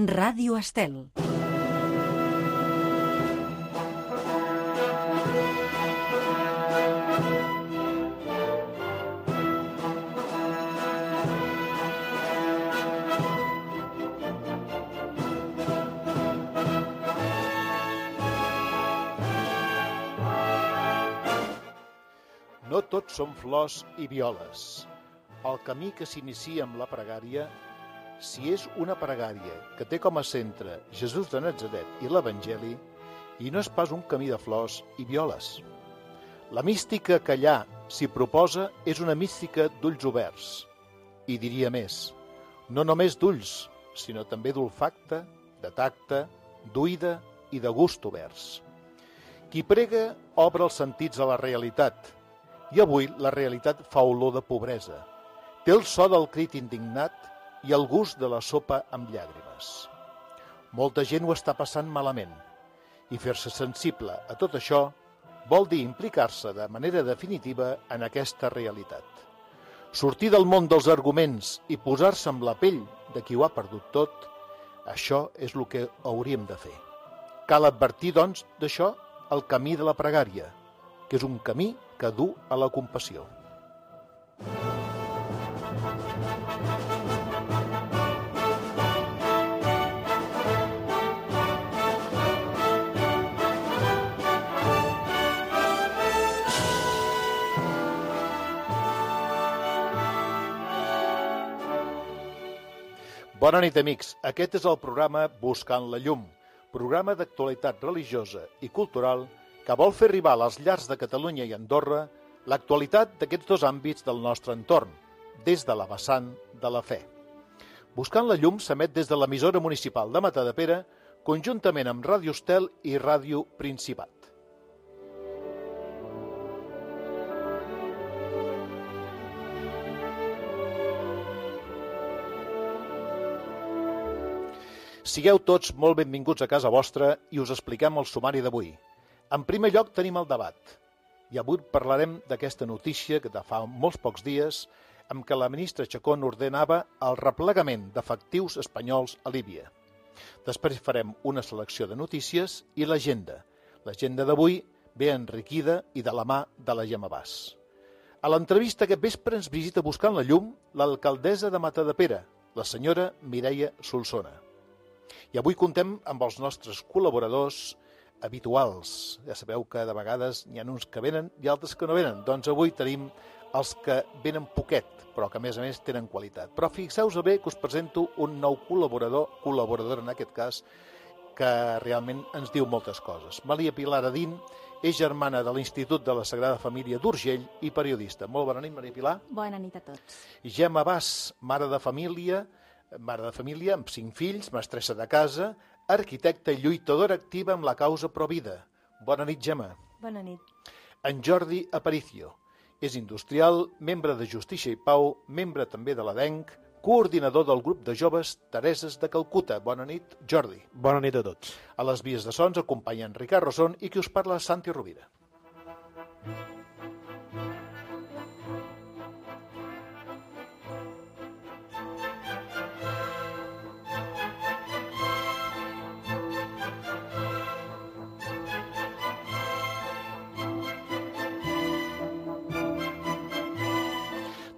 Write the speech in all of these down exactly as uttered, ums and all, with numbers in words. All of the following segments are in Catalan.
Ràdio Estel. No tots són flors i violes. El camí que s'inicia amb la pregària, si és una pregària que té com a centre Jesús de Natzaret i l'Evangeli, i no és pas un camí de flors i violes. La mística que allà s'hi proposa és una mística d'ulls oberts. I diria més, no només d'ulls, sinó també d'olfacte, de tacte, d'oïda i de gust oberts. Qui prega obre els sentits a la realitat, i avui la realitat fa olor de pobresa. Té el so del crit indignat i el gust de la sopa amb llàgrimes. Molta gent ho està passant malament, i fer-se sensible a tot això vol dir implicar-se de manera definitiva en aquesta realitat. Sortir del món dels arguments i posar-se amb la pell de qui ho ha perdut tot, això és el que hauríem de fer. Cal advertir, doncs, d'això el camí de la pregària, que és un camí que du a la compassió. Bona nit, amics. Aquest és el programa Buscant la llum, programa d'actualitat religiosa i cultural que vol fer arribar a les llars de Catalunya i Andorra l'actualitat d'aquests dos àmbits del nostre entorn, des de la vessant de la fe. Buscant la llum s'emet des de l'emissora municipal de Matadepera, conjuntament amb Ràdio Estel i Ràdio Principat. Sigueu tots molt benvinguts a casa vostra i us expliquem el sumari d'avui. En primer lloc tenim el debat, i avui parlarem d'aquesta notícia que de fa molts pocs dies amb què la ministra Chacón ordenava el replegament d'efectius espanyols a Líbia. Després farem una selecció de notícies i l'agenda. L'agenda d'avui ve enriquida i de la mà de la Gemma Bas. A l'entrevista aquest vespre ens visita buscant la llum l'alcaldessa de Matadepera, la senyora Mireia Solsona. I avui contem amb els nostres col·laboradors habituals. Ja sabeu que de vegades n'hi ha uns que venen i altres que no venen. Doncs avui tenim els que venen poquet, però que a més a més tenen qualitat. Però fixeu-vos bé que us presento un nou col·laborador, col·laboradora en aquest cas, que realment ens diu moltes coses. Maria Pilar Adín és germana de l'Institut de la Sagrada Família d'Urgell i periodista. Molt bona nit, Maria Pilar. Bona nit a tots. Gemma Bas, mare de família, mare de família amb cinc fills, mestressa de casa, arquitecta i lluitadora activa amb la causa Provida. Bona nit, Gemma. Bona nit. En Jordi Aparicio. És industrial, membre de Justícia i Pau, membre també de l'A D E N C, coordinador del grup de joves Tereses de Calcuta. Bona nit, Jordi. Bona nit a tots. A les vies de sons acompanyen Ricard Rosón i qui us parla, Santi Rovira.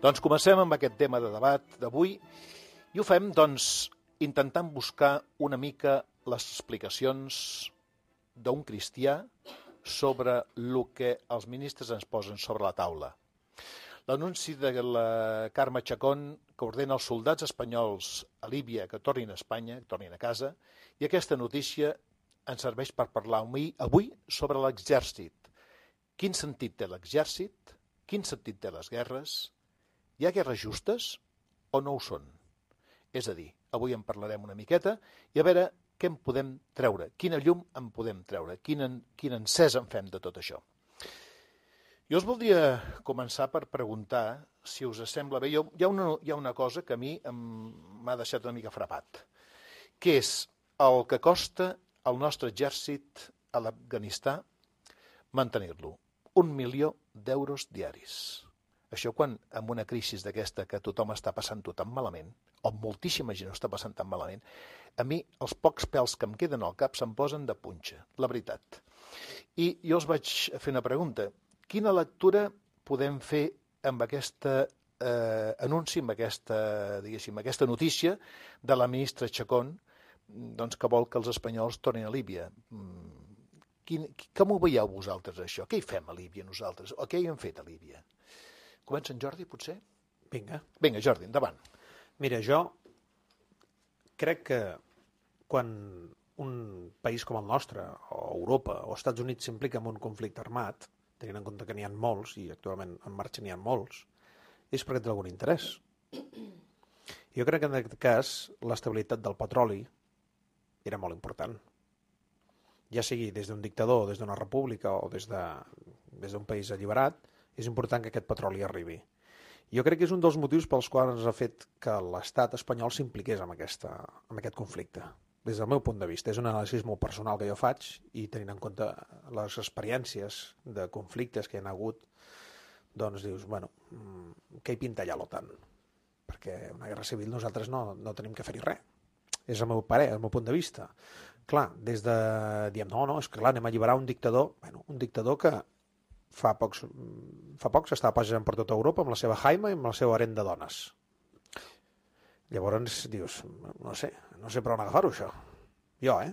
Doncs comencem amb aquest tema de debat d'avui i ho fem doncs, intentant buscar una mica les explicacions d'un cristià sobre el que els ministres ens posen sobre la taula. L'anunci de la Carme Chacón que ordena als soldats espanyols a Líbia que tornin a Espanya, que tornin a casa, i aquesta notícia ens serveix per parlar avui sobre l'exèrcit. Quin sentit té l'exèrcit? Quin sentit té les guerres? Hi ha guerres justes o no ho són? És a dir, avui en parlarem una miqueta i a veure què en podem treure, quina llum en podem treure, quin, en, quin encès en fem de tot això. Jo us voldria començar per preguntar, si us sembla bé, jo, hi, ha una, hi ha una cosa que a mi m'ha deixat una mica frapat, que és el que costa al nostre exèrcit a l'Afganistà mantenir-lo. Un milió d'euros diaris. Això quan, amb una crisi d'aquesta que tothom està passant-ho tan malament, o moltíssima gent ho està passant tan malament, a mi els pocs pèls que em queden al cap se'm posen de punxa, la veritat. I jo els vaig fer una pregunta. Quina lectura podem fer amb aquesta eh, anunci, amb aquesta, diguéssim, aquesta notícia de la ministra Chacón, doncs, que vol que els espanyols tornin a Líbia? Quin, com ho veieu vosaltres, això? Què hi fem a Líbia nosaltres? O què hi hem fet a Líbia? Comença en Jordi, potser? Vinga. Vinga, Jordi, endavant. Mira, jo crec que quan un país com el nostre, o Europa, o Estats Units s'implica en un conflicte armat, tenint en compte que n'hi ha molts, i actualment en marxa n'hi ha molts, és perquè té algun interès. Jo crec que en aquest cas l'estabilitat del petroli era molt important. Ja sigui des d'un dictador, des d'una república o des de, des d'un país alliberat, és important que aquest petroli arribi. Jo crec que és un dels motius pels quals ha fet que l'estat espanyol s'impliqués en, aquesta, en aquest conflicte. Des del meu punt de vista, és un anàlisi molt personal que jo faig i tenint en compte les experiències de conflictes que hi ha hagut, doncs dius, bueno, què hi pinta allà l'OTAN? Perquè una guerra civil nosaltres no, no tenim que fer-hi res. És el meu parer, el meu punt de vista. Clar, des de... diem, no, no, és que clar, anem a alliberar un dictador, bueno, un dictador que fa pocs, fa pocs estava passejant per tota Europa amb la seva jaima i amb el seu harem de dones. Llavors dius, no sé, no sé per on agafar-ho, això. Jo, eh?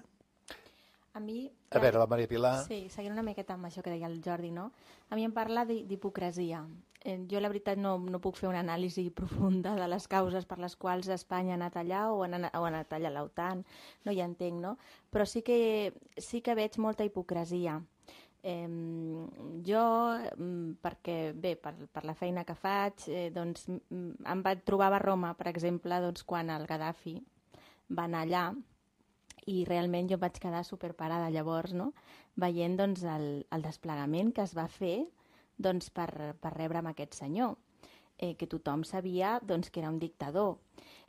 A mi... A veure, la Maria Pilar... Sí, seguint una miqueta amb això que deia el Jordi, no? A mi em parla d'hipocresia. Eh, jo, la veritat, no, no puc fer una anàlisi profunda de les causes per les quals Espanya ha anat allà o ha anat, o ha anat allà a l'OTAN, no hi entenc, no? Però sí que, sí que veig molta hipocresia. Eh, jo, perquè, bé, per, per la feina que faig, eh, doncs, em vaig trobar a Roma, per exemple, doncs, quan el Gaddafi va anar allà, i realment jo em vaig quedar superparada llavors, no? Veient doncs, el, el desplegament que es va fer doncs, per, per rebre amb aquest senyor, eh, que tothom sabia doncs, que era un dictador.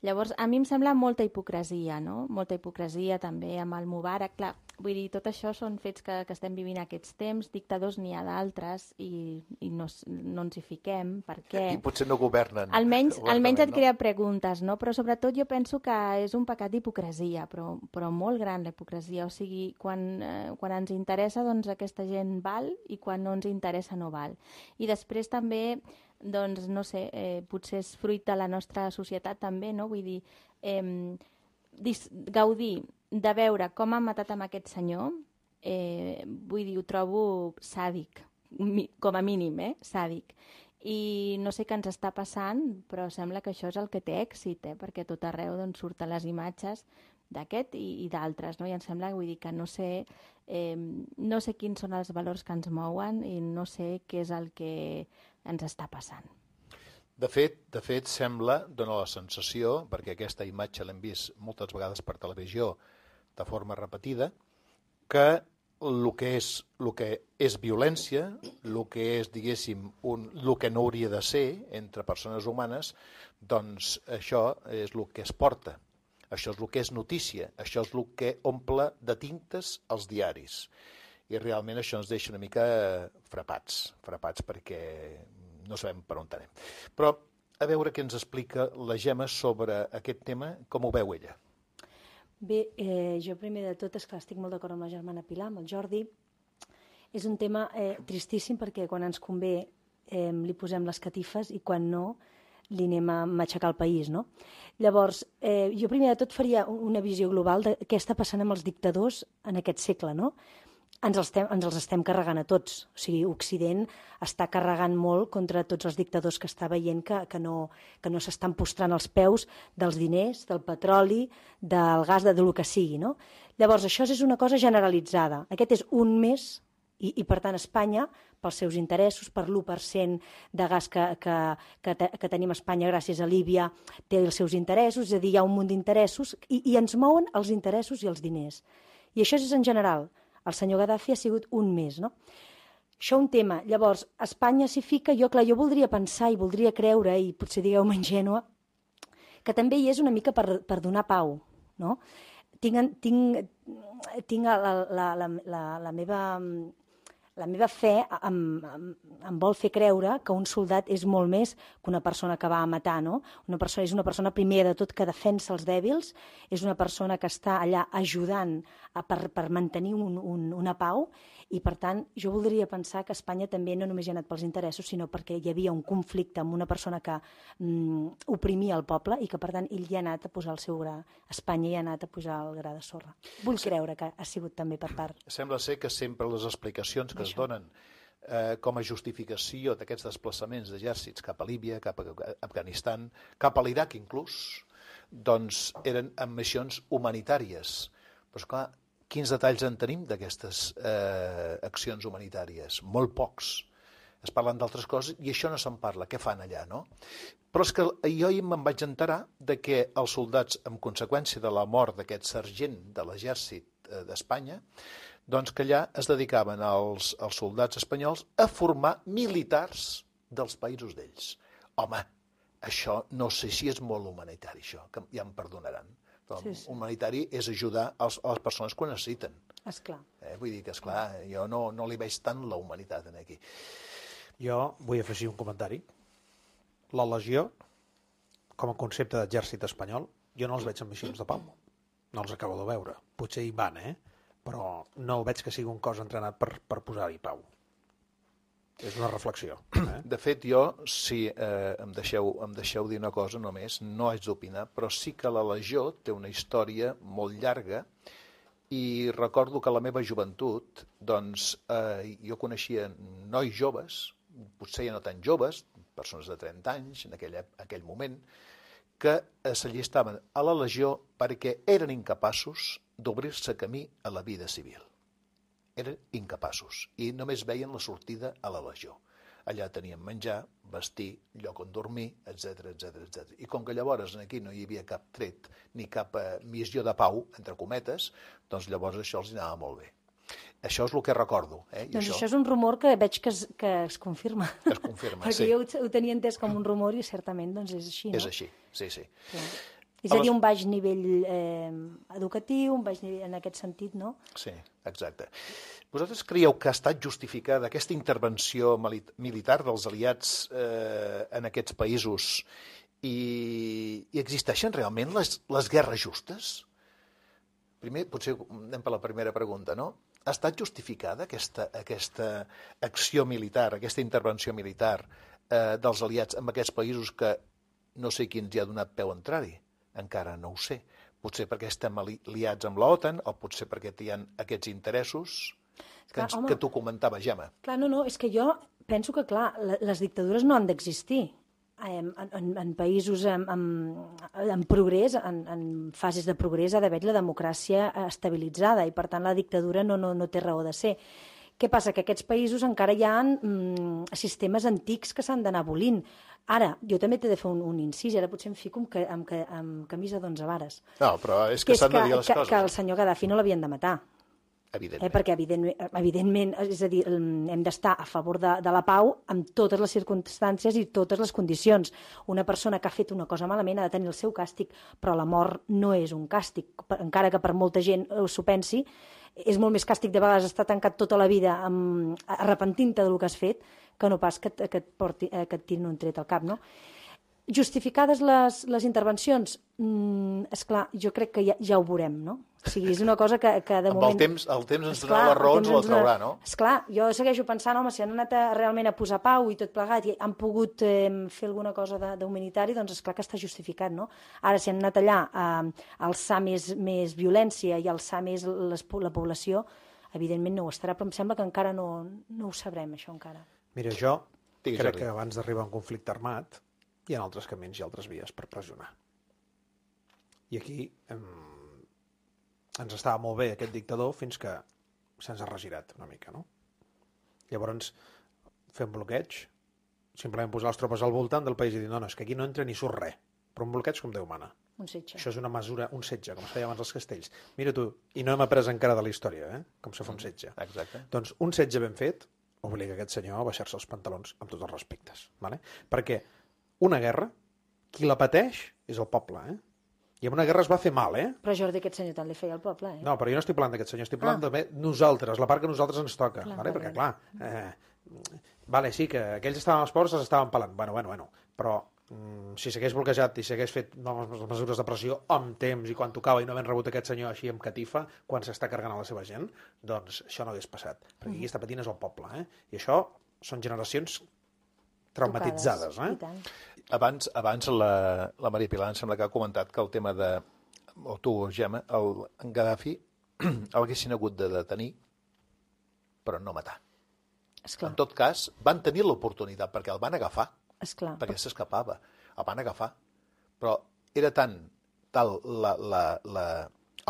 Llavors, a mi em sembla molta hipocresia, no? Molta hipocresia també amb el Mubarak. Clar, vull dir, tot això són fets que, que estem vivint aquests temps, dictadors n'hi ha d'altres i, i no, no ens hi fiquem, perquè... I potser no governen. Almenys, almenys et no? crea preguntes, no? Però sobretot jo penso que és un pecat d'hipocresia, però, però molt gran la hipocresia. O sigui, quan, eh, quan ens interessa, doncs aquesta gent val i quan no ens interessa no val. I després també... doncs, no sé, eh, potser és fruit de la nostra societat també, no? Vull dir, eh, dis, gaudir de veure com han matat amb aquest senyor, eh, vull dir, ho trobo sàdic, mi, com a mínim, eh, sàdic. I no sé què ens està passant, però sembla que això és el que té èxit, eh, perquè tot arreu doncs, surten les imatges d'aquest i, i d'altres, no? I em sembla, vull dir, que no sé, eh, no sé quins són els valors que ens mouen i no sé què és el que ens està passant. De fet, de fet, sembla, dona la sensació, perquè aquesta imatge l'hem vist moltes vegades per televisió de forma repetida, que el que és, el que és violència, el que és, diguéssim, un, el que no hauria de ser entre persones humanes, doncs això és el que es porta. Això és el que és notícia, això és el que omple de tintes els diaris. I realment això ens deixa una mica frapats, frapats perquè no sabem per on anem. Però a veure què ens explica la Gemma sobre aquest tema, com ho veu ella. Bé, eh, jo primer de tot, esclar, estic molt d'acord amb la germana Pilar, amb el Jordi. És un tema eh, tristíssim perquè quan ens convé eh, li posem les catifes i quan no li anem a matxacar el país, no? Llavors, eh, jo primer de tot faria una visió global de què està passant amb els dictadors en aquest segle, no? Ens els, estem, ens els estem carregant a tots. O sigui, Occident està carregant molt contra tots els dictadors que està veient que, que no, que no s'estan postrant els peus dels diners, del petroli, del gas, de, de lo que sigui, no? Llavors, això és una cosa generalitzada. Aquest és un més i, i per tant, Espanya, pels seus interessos, per l'u per cent de gas que, que, que, te, que tenim a Espanya gràcies a Líbia, té els seus interessos, és a dir, hi ha un munt d'interessos i, i ens mouen els interessos i els diners. I això és en general. El senyor Gaddafi ha sigut un més, no? Això un tema. Llavors, Espanya s'hi fica, jo, clar, jo voldria pensar i voldria creure, i potser digueu-me ingènua, que també hi és una mica per, per donar pau, no? Tinc, tinc, tinc la, la, la, la, la, meva, la meva fe em, em, em vol fer creure que un soldat és molt més que una persona que va a matar, no? Una persona, és una persona, primer de tot, que defensa els dèbils, és una persona que està allà ajudant a, per, per mantenir un, un, una pau, i, per tant, jo voldria pensar que Espanya també no només hi ha anat pels interessos, sinó perquè hi havia un conflicte amb una persona que mm, oprimia el poble i que, per tant, ell hi ha anat a posar el seu gra. Espanya hi ha anat a posar el gra de sorra. Vull creure que ha sigut també per part. Sembla ser que sempre les explicacions que es donen eh, com a justificació d'aquests desplaçaments d'exèrcits cap a Líbia, cap a Afganistan, cap a l'Iraq inclús, doncs eren amb missions humanitàries. Però, esclar, quins detalls en tenim d'aquestes eh, accions humanitàries? Molt pocs. Es parlen d'altres coses i això no se'n parla. Què fan allà, no? Però és que jo hi me'n vaig enterar de que els soldats, en conseqüència de la mort d'aquest sergent de l'exèrcit eh, d'Espanya, doncs que allà es dedicaven els, els soldats espanyols a formar militars dels països d'ells. Home, això no sé si és molt humanitari, això, que ja em perdonaran. Però sí, sí. Humanitari és ajudar als, a les persones que ho necessiten. Esclar. Eh, vull dir que, esclar, jo no, no li veig tant la humanitat en aquí. Jo vull afegir un comentari. La legió, com a concepte d'exèrcit espanyol, jo no els veig en missions de pau. No els acabo de veure. Potser hi van, eh? Però no veig que sigui un cos entrenat per, per posar-hi pau. És una reflexió. Eh? De fet, jo, si eh, em, deixeu, em deixeu dir una cosa només, no haig d'opinar, però sí que la Legió té una història molt llarga i recordo que a la meva joventut, doncs, eh, jo coneixia nois joves, potser ja no tan joves, persones de trenta anys, en aquell, aquell moment, que s'allistaven a la Legió perquè eren incapaços d'obrir-se camí a la vida civil. Eren incapaços i només veien la sortida a la Legió. Allà tenien menjar, vestir, lloc on dormir, etcètera, etcètera, etcètera. I com que llavors aquí no hi havia cap tret ni cap eh, missió de pau, entre cometes, doncs llavors això els anava molt bé. Això és el que recordo. Eh? I doncs això... això és un rumor que veig que es, que es confirma. Es confirma, Perquè sí. jo ho, ho tenia entès com un rumor i certament doncs és així, no? És així, sí, sí. Sí. És a dir, un baix nivell eh, educatiu, un baix nivell en aquest sentit, no? Sí, exacte. Vosaltres creieu que ha estat justificada aquesta intervenció militar dels aliats eh, en aquests països i, i existeixen realment les, les guerres justes? Primer, potser anem per la primera pregunta, no? Ha estat justificada aquesta, aquesta acció militar, aquesta intervenció militar eh, dels aliats en aquests països que no sé qui ens hi ha donat peu a entrar-hi? Encara no ho sé. Potser perquè estem aliats amb l'OTAN o potser perquè hi ha aquests interessos que, clar, ens, home, que tu comentaves, Gemma. Clar, no, no, és que jo penso que, clar, les dictadures no han d'existir. En, en, en països en, en, en progrés, en, en fases de progrés, ha d'haver la democràcia estabilitzada i, per tant, la dictadura no, no, no té raó de ser. Què passa? Que aquests països encara hi ha mm, sistemes antics que s'han d'anar abolint. Ara, jo també t'he de fer un, un incís, ara potser em fico amb, amb, amb camisa d'onze vares. No, però és que, que s'han de dir les que, coses. Que el senyor Gaddafi no l'havien de matar. Evidentment. Eh, perquè, evidentment, evidentment, és a dir, hem d'estar a favor de, de la pau amb totes les circumstàncies i totes les condicions. Una persona que ha fet una cosa malament ha de tenir el seu càstig, però la mort no és un càstig, encara que per molta gent s'ho pensi. És molt més càstig de vegades estar tancat tota la vida amb, arrepentint-te del que has fet que no pas que, que, et porti, que et tirin un tret al cap, no? Justificades les, les intervencions? Mm, esclar, jo crec que ja, ja ho veurem, no? O sigui, és una cosa que, que de amb moment... el temps, el temps ens donarà les raons, la traurà, no? Esclar, jo segueixo pensant, home, si han anat a, realment a posar pau i tot plegat i han pogut eh, fer alguna cosa d'humanitari, doncs esclar que està justificat, no? Ara, si han anat allà a, a alçar més, més violència i a alçar més les, la població, evidentment no ho estarà, però em sembla que encara no, no ho sabrem, això encara. Mira, jo Digues, crec Jordi. que abans d'arribar a un conflicte armat hi ha altres camins i altres vies per pressionar. I aquí em, ens estava molt bé aquest dictador fins que se'ns ha regirat una mica, no? Llavors, fer un bloqueig, simplement posar les tropes al voltant del país i dir, no, no, és que aquí no entra ni surt res, però un bloqueig com Déu mana. Un setge. Això és una mesura, un setge, com es feia abans als castells. Mira tu, i no hem après encara de la història, eh? Com se fa un setge. Exacte. Doncs un setge ben fet obliga aquest senyor a baixar-se els pantalons amb tots els respectes. Vale? Perquè una guerra, qui la pateix és el poble. Eh? I en una guerra es va fer mal, eh? Però Jordi, aquest senyor tant li feia al poble, eh? No, però jo no estic parlant d'aquest senyor, estic parlant Ah. de nosaltres, la part que a nosaltres ens toca, Clar, vale? vale, Perquè, clar, eh, vale, sí, que aquells estaven als ports, els estaven pelant, bueno, bueno, bueno, però mm, si s'hagués bloquejat i s'hagués fet les mesures de pressió amb temps i quan tocava i no havent rebut aquest senyor així amb catifa, quan s'està carregant a la seva gent, doncs això no hagués passat, perquè qui està patint és el poble, eh? I això són generacions traumatitzades, Tocades, eh? i tant. Abans, abans la, la Maria Pilar em sembla que ha comentat que el tema de, o tu, Gemma, el, en Gaddafi el haguessin hagut de detenir, però no matar. Esclar, En tot cas, van tenir l'oportunitat, perquè el van agafar, esclar. perquè s'escapava. El van agafar. Però era tant tal la, la, la,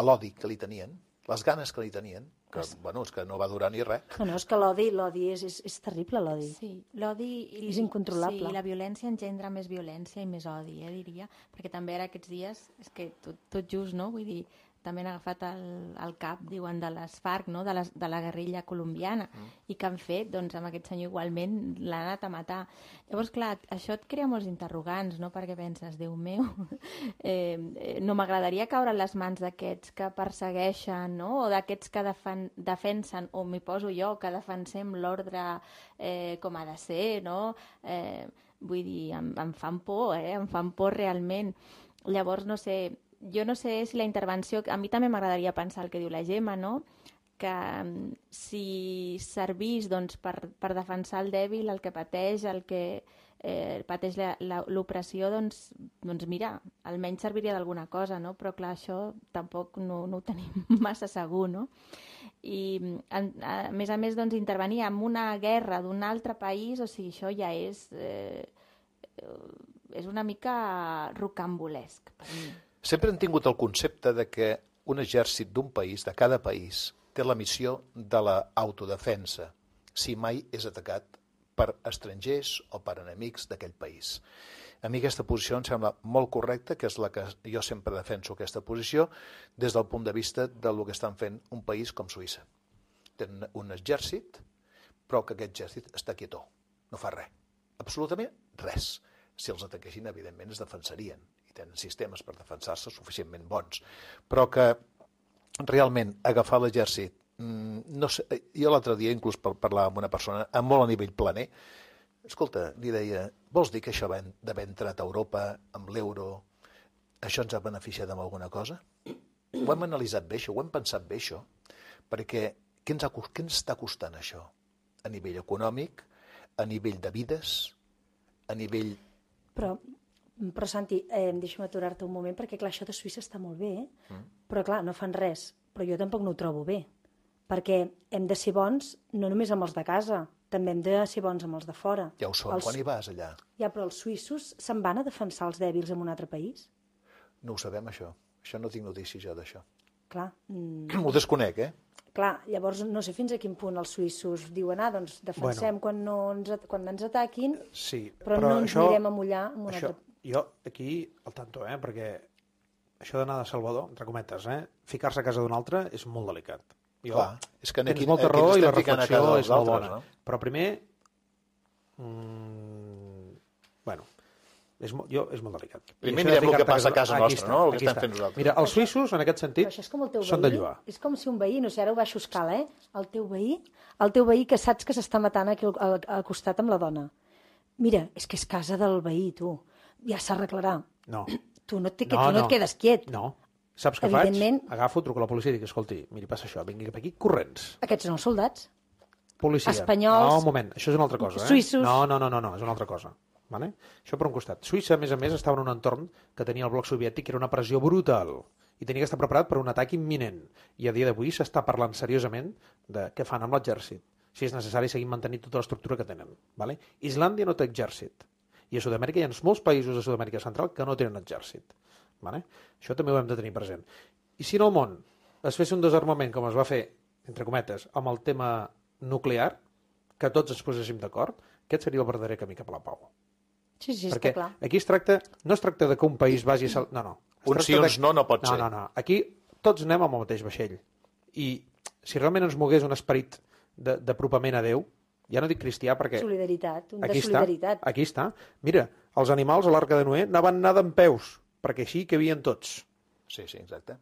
l'odi que li tenien, les ganes que li tenien, que, bueno, és que no va durar ni res. No, no, és que l'odi, l'odi és, és, és terrible, l'odi. Sí, l'odi... i- És incontrolable. Sí, la violència engendra més violència i més odi, eh, diria. Perquè també ara aquests dies, és que tot, tot just, no? Vull dir, també han agafat el, el cap, diuen, de les FARC, no? de, les, de la guerrilla colombiana, mm. i que han fet, doncs, amb aquest senyor igualment l'han anat a matar. Llavors, clar, això et crea molts interrogants, no? Perquè penses, Déu meu, eh, no m'agradaria caure en les mans d'aquests que persegueixen, no? O d'aquests que defen, defensen, o m'hi poso jo, que defensem l'ordre eh, com ha de ser, no? Eh, vull dir, em, em fan por, eh? Em fan por realment. Llavors, no sé, jo no sé si la intervenció... A mi també m'agradaria pensar el que diu la Gemma, no? Que um, si servís doncs, per, per defensar el dèbil, el que pateix, el que eh, pateix la, la, l'opressió, doncs, doncs mira, almenys serviria d'alguna cosa, no? Però clar, això tampoc no, no ho tenim massa segur, no? I en, a més a més, doncs, intervenir en una guerra d'un altre país, o sigui, això ja és... Eh, és una mica rocambolesc per mi. Sempre han tingut el concepte de que un exèrcit d'un país, de cada país, té la missió de l'autodefensa, si mai és atacat per estrangers o per enemics d'aquell país. A mi aquesta posició em sembla molt correcta, que és la que jo sempre defenso aquesta posició, des del punt de vista del que estan fent un país com Suïssa. Tenen un exèrcit, però que aquest exèrcit està quietó, no fa res, absolutament res. Si els ataquessin, evidentment, es defensarien i tenen sistemes per defensar-se suficientment bons. Però que realment agafar l'exèrcit, no sé, jo l'altre dia inclús parlava amb una persona molt a nivell planer, escolta, li deia, vols dir que això d'haver entrat a Europa amb l'euro, això ens ha beneficiat amb alguna cosa? Ho hem analitzat bé, això, ho hem pensat bé, això, perquè què ens, ha, què ens està costant això? A nivell econòmic, a nivell de vides, a nivell... Però, però Santi, eh, deixa'm aturar-te un moment, perquè clar, això de Suïssa està molt bé, eh? mm. però clar, no fan res, però jo tampoc no ho trobo bé, perquè hem de ser bons no només amb els de casa, també hem de ser bons amb els de fora. Ja ho són, els... quan hi vas allà. Ja, però els suïssos se'n van a defensar els dèbils en un altre país? No ho sabem, això. Això no tinc notícia jo d'això. Clar. Mm... Ho desconec, eh? Clar, llavors no sé fins a quin punt els suïssos diuen, ah, doncs defensem bueno, quan, no ens, quan ens ataquin, sí, però, però no ens això, anirem a mullar en un això, altre... Jo aquí al tanto, eh, perquè això d'anar de Salvador, entre cometes, eh, ficar-se a casa d'un altre és molt delicat. Jo, clar, és que tens aquí, molta aquí raó i la reflexió reflexió és molt bona. No? Però primer, mm, bueno, és molt, jo, és molt delicat. Primer mirem el que passa a casa nostra, està, no? El que estem està. fent nosaltres. Mira, els suïssos, en aquest sentit, això és com el teu són de veí, lluar. és com si un veí, no sé, ara ho baixo escala, eh? El teu veí, el teu veí que saps que s'està matant aquí al, al costat amb la dona. Mira, és que és casa del veí, tu. Ja s'arreglarà. No. Tu no, et, no, tu no, no et quedes quiet. No. Saps què Evidentment... faig? Agafo, truco a la policia i dic, escolti, miri, passa això, vingui cap aquí, corrents. Aquests són els soldats. Policia. Espanyols. No, un moment, això és una altra cosa. Eh? Suïssos. No, no, no, no, no, és una altra cosa. Vale? Això per un costat. Suïssa, a més a més, estava en un entorn que tenia el bloc soviètic, que era una pressió brutal, i tenia que estar preparat per un atac imminent. I a dia d'avui s'està parlant seriosament de què fan amb l'exèrcit, si és necessari seguir mantenint tota l'estructura que tenen. Vale? Islàndia no té exèrcit, i a Sud-amèrica hi ha molts països de Sud-amèrica Central que no tenen exèrcit. Vale? Això també ho hem de tenir present. I si en el món es fes un desarmament, com es va fer, entre cometes, amb el tema nuclear, que tots ens poséssim d'acord, aquest seria el verdader camí cap a la pau. Sí, sí, perquè està clar. Aquí es tracta, no es tracta de que un país vagi a... Sal... No, no. Un sí, uns no, no pot no, ser. No, no, Aquí tots anem amb el mateix vaixell. I si realment ens mogués un esperit d'apropament a Déu, ja no dic cristià perquè... Solidaritat, un de aquí solidaritat. Està, aquí està. Mira, els animals a l'Arca de Noé anaven anar d'en peus, perquè així que havien tots. Sí, sí, exacte.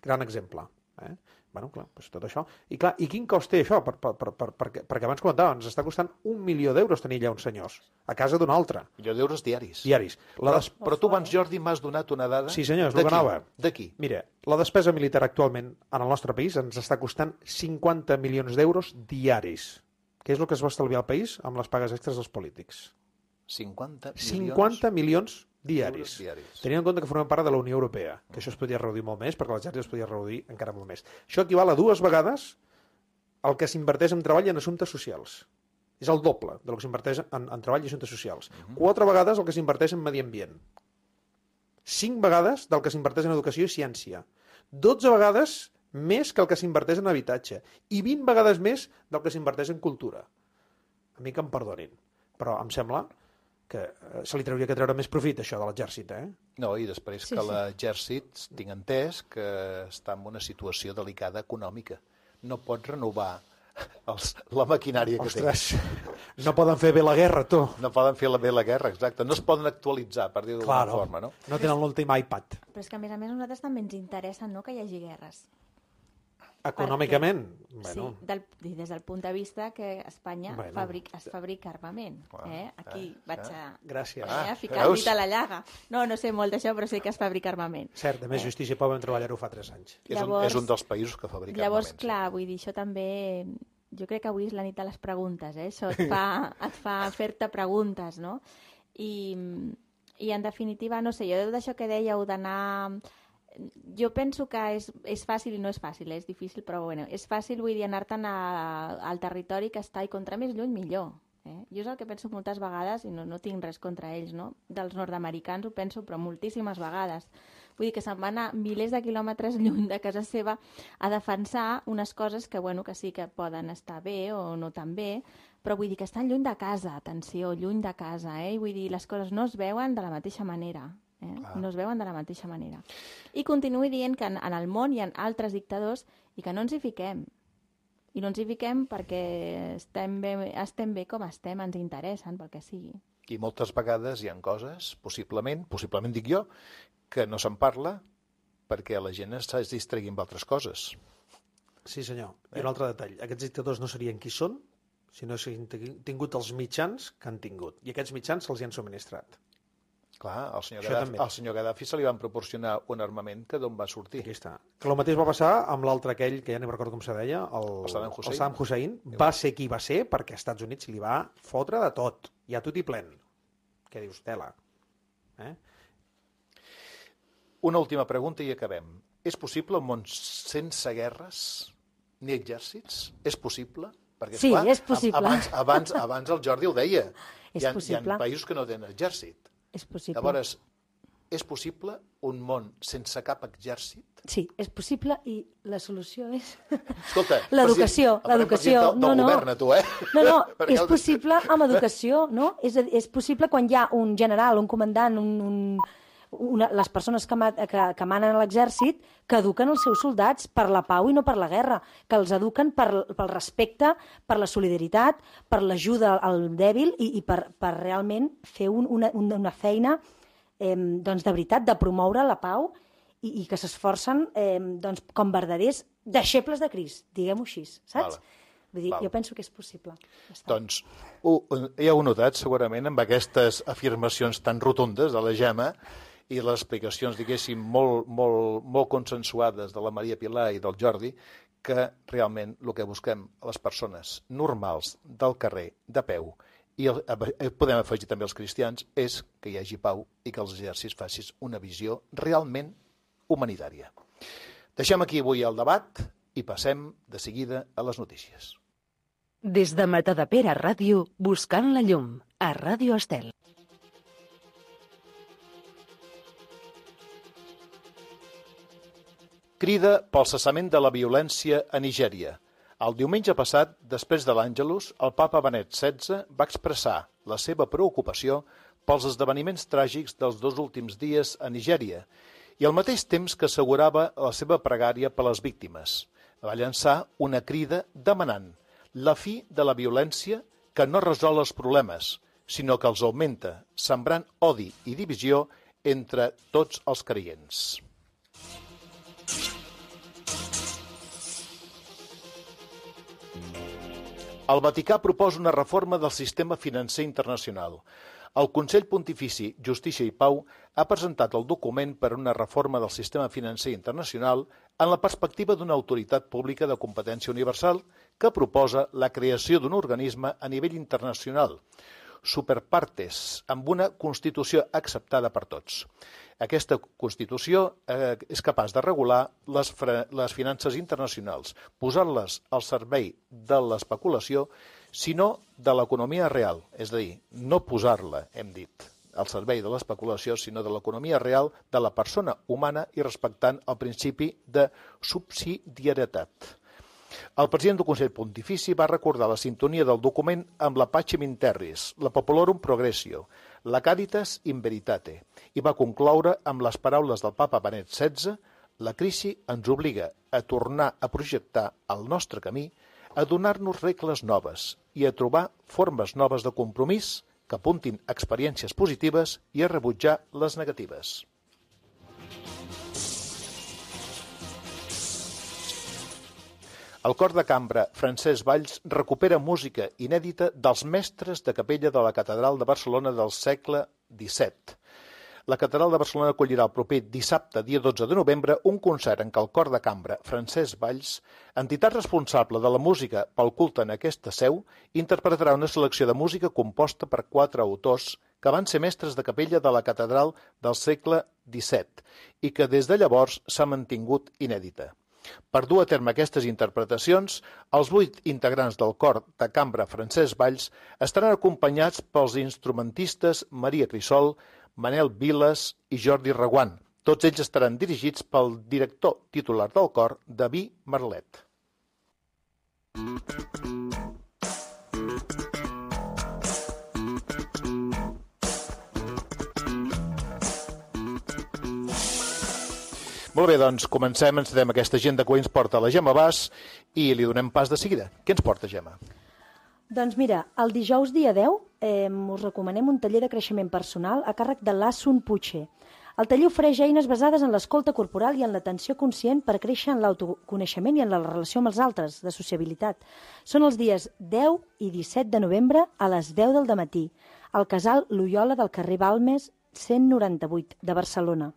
Gran exemple. Eh? Bueno, clar, doncs tot això. I clar, i quin cost té això? Per, per, per, per, perquè, perquè abans comentava, ens està costant un milió d'euros tenir allà uns senyors, a casa d'un altre. Milió d'euros diaris. Diaris. La Però, des... però tu abans, Jordi, m'has donat una dada... Sí, senyor, és el que anava. D'aquí. Mira, la despesa militar actualment en el nostre país ens està costant cinquanta milions d'euros diaris, que és el que es va estalviar al país amb les pagues extres dels polítics. cinquanta milions... cinquanta milions diaris. diaris. Tenint en compte que formem part de la Unió Europea, que això es podria reduir molt més, perquè l'exèrcit es podria reduir encara molt més. Això equival a dues vegades el que s'inverteix en treball i en assumptes socials. És el doble del que s'inverteix en, en treball i assumptes socials. Uh-huh. Quatre vegades el que s'inverteix en medi ambient. Cinc vegades del que s'inverteix en educació i ciència. Dotze vegades més que el que s'inverteix en habitatge. I vint vegades més del que s'inverteix en cultura. A mi que em perdonin, però em sembla que se li trauria que treure més profit, això de l'exèrcit, eh? No, i després sí, que sí. l'exèrcit, tinc entès, que està en una situació delicada econòmica. No pot renovar els, la maquinària que Ostres, té. No poden fer bé la guerra, tu. No poden fer bé la guerra, exacte. No es poden actualitzar, per dir-ho d'alguna claro. forma, no? No tenen l'últim iPad. Però és que, a més a més, a nosaltres també ens interessa, no?, que hi hagi guerres. Econòmicament, perquè, bueno. sí, del, des del punt de vista que Espanya bueno. fabric, es fabrica armament. Eh? Aquí eh, vaig a, Gràcies. eh, a ficar el dit a la llaga. No, no sé molt d'això, però sé que es fabrica armament. Cert, a més, eh? Justícia Pau vam treballar-ho fa tres anys. Llavors, és, un, és un dels països que fabrica llavors, armament. Llavors, clar, vull dir, això també... Jo crec que avui és la nit de les preguntes, eh? Això et fa, et fa fer-te preguntes, no? I, I, en definitiva, no sé, jo d'això que dèieu d'anar... Jo penso que és, és fàcil i no és fàcil, eh? És difícil, però bueno, és fàcil, vull dir, anar-te'n al territori que està i contra més lluny millor. Eh? Jo és el que penso moltes vegades, i no, no tinc res contra ells, no? Dels nord-americans ho penso, però moltíssimes vegades. Vull dir que se'n van a milers de quilòmetres lluny de casa seva a defensar unes coses que, bueno, que sí que poden estar bé o no tan bé, però vull dir que estan lluny de casa, atenció, lluny de casa, eh? I vull dir, les coses no es veuen de la mateixa manera. Eh? Ah. No es veuen de la mateixa manera. I continuï dient que en, en el món hi ha altres dictadors i que no ens hi fiquem. I no ens hi fiquem perquè estem bé, estem bé com estem, ens interessen, pel que sigui. I moltes vegades hi ha coses, possiblement, possiblement dic jo, que no se'n parla perquè la gent es distregui amb altres coses. Sí, senyor. I un altre detall. Aquests dictadors no serien qui són, sinó que han tingut els mitjans que han tingut. I aquests mitjans se'ls hi han subministrat. Clar, al senyor, Gaddafi, al senyor Gaddafi se li van proporcionar un armament que d'on va sortir. Aquí està. Que el mateix va passar amb l'altre aquell, que ja no recordo com se deia, el, el Saddam Hussein. El Saddam Hussein. Va ser qui va ser perquè als Estats Units li va fotre de tot. Ja tot i plen. Què dius, tela? Eh? Una última pregunta i acabem. És possible un món sense guerres ni exèrcits? És possible? Perquè, sí, esclar, és possible. Abans, abans, abans el Jordi ho deia. És hi ha, possible. Hi ha països que no tenen exèrcit. És possible. Llavors, és possible un món sense cap exèrcit? Sí, és possible i la solució és... Escolta, l'educació, l'educació. Del, del no, no. govern, tu, eh? No, no, és possible amb educació, no? És, és possible quan hi ha un general, un comandant, un, un, una, les persones que, que, que manen a l'exèrcit que eduquen els seus soldats per la pau i no per la guerra, que els eduquen per, pel respecte, per la solidaritat, per l'ajuda al dèbil i, i per, per realment fer un, una, una feina eh, doncs de veritat, de promoure la pau i, i que s'esforcen eh, doncs, com verdaders deixebles de Crist, diguem-ho així, saps? Vale. Vull dir, Val. jo penso que és possible. Doncs ho, ja ho heu notat segurament amb aquestes afirmacions tan rotundes de la Gemma i les explicacions, diguéssim, molt, molt, molt consensuades de la Maria Pilar i del Jordi, que realment el que busquem a les persones normals del carrer, de peu, i el, podem afegir també els cristians, és que hi hagi pau i que els exèrcits facin una visió realment humanitària. Deixem aquí avui el debat i passem de seguida a les notícies. Des de Matadepera Ràdio, buscant la llum, a Ràdio Estel. Crida pel cessament de la violència a Nigèria. El diumenge passat, després de l'Àngelus, el papa Benet setze va expressar la seva preocupació pels esdeveniments tràgics dels dos últims dies a Nigèria i al mateix temps que assegurava la seva pregària per les víctimes. Va llançar una crida demanant la fi de la violència que no resol els problemes, sinó que els augmenta, sembrant odi i divisió entre tots els creients. El Vaticà proposa una reforma del sistema financer internacional. El Consell Pontifici Justícia i Pau ha presentat el document per a una reforma del sistema financer internacional en la perspectiva d'una autoritat pública de competència universal que proposa la creació d'un organisme a nivell internacional, superpartes, amb una Constitució acceptada per tots. Aquesta Constitució eh, és capaç de regular les, les finances internacionals, posar-les al servei de l'especulació, sinó de l'economia real, és a dir, no posar-la, hem dit, al servei de l'especulació, sinó de l'economia real de la persona humana i respectant el principi de subsidiarietat. El president del Consell Pontifici va recordar la sintonia del document amb la Pacem in Terris, la Populorum Progressio, la Caritas in Veritate, i va concloure amb les paraules del papa Benet setze: la crisi ens obliga a tornar a projectar el nostre camí, a donar-nos regles noves i a trobar formes noves de compromís que apuntin experiències positives i a rebutjar les negatives. El cor de cambra Francesc Valls recupera música inèdita dels mestres de capella de la Catedral de Barcelona del segle disset. La Catedral de Barcelona acollirà el proper dissabte, dia dotze de novembre, un concert en què el cor de cambra Francesc Valls, entitat responsable de la música pel culte en aquesta seu, interpretarà una selecció de música composta per quatre autors que van ser mestres de capella de la Catedral del segle disset i que des de llavors s'ha mantingut inèdita. Per dur a terme aquestes interpretacions, els vuit integrants del cor de cambra Francesc Valls estaran acompanyats pels instrumentistes Maria Crisol, Manel Viles i Jordi Reguant. Tots ells estaran dirigits pel director titular del cor, David Marlet. Molt bé, doncs comencem, ens donem aquesta agenda que avui ens porta la Gemma Bas i li donem pas de seguida. Què ens porta, Gemma? Doncs mira, el dijous dia deu eh, us recomanem un taller de creixement personal a càrrec de l'Assun Puche. El taller ofereix eines basades en l'escolta corporal i en l'atenció conscient per créixer en l'autoconeixement i en la relació amb els altres, de sociabilitat. Són els dies deu i disset de novembre a les deu del dematí, al casal Loyola del carrer Balmes cent noranta-vuit de Barcelona.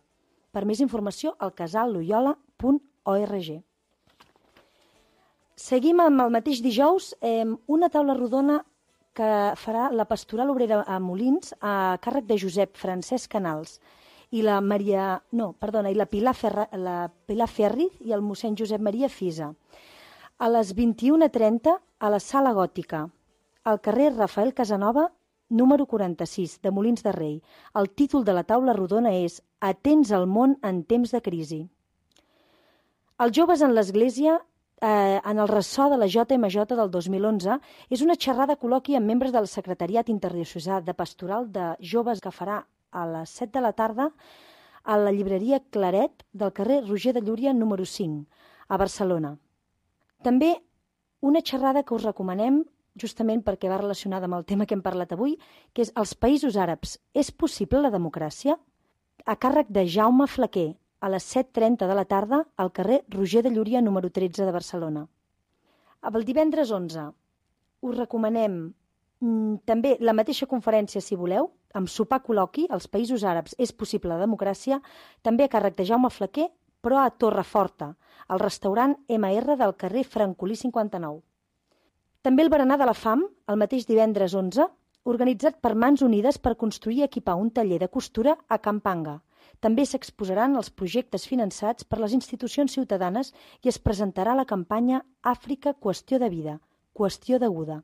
Per més informació, al casal loyola punt org. Seguim amb el mateix dijous eh, una taula rodona que farà la Pastoral Obrera a Molins a càrrec de Josep Francesc Canals i la Maria, no, perdona, i la Pilar, Ferra, la Pilar Ferriz i el mossèn Josep Maria Fisa. A les vint-i-una trenta a la Sala Gòtica, al carrer Rafael Casanova, número quaranta-sis, de Molins de Rei. El títol de la taula rodona és Atents al món en temps de crisi. Els joves en l'Església, eh, en el ressò de la J M J del dos mil onze, és una xerrada col·loqui amb membres del Secretariat Interdiocesà de Pastoral de Joves que farà a les set de la tarda a la llibreria Claret del carrer Roger de Llúria, número cinc, a Barcelona. També una xerrada que us recomanem justament perquè va relacionada amb el tema que hem parlat avui, que és els països àrabs. És possible la democràcia? A càrrec de Jaume Flaquer, a les set trenta de la tarda, al carrer Roger de Llúria, número tretze de Barcelona. El divendres onze us recomanem mm, també la mateixa conferència, si voleu, amb sopar col·loqui, als països àrabs és possible la democràcia, també a càrrec de Jaume Flaquer, però a Torreforta, al restaurant M R del carrer Francolí cinquanta-nou. També el berenar de la fam, el mateix divendres onze, organitzat per Mans Unides per construir i equipar un taller de costura a Campanga. També s'exposaran els projectes finançats per les institucions ciutadanes i es presentarà la campanya Àfrica Qüestió de Vida, Qüestió deguda,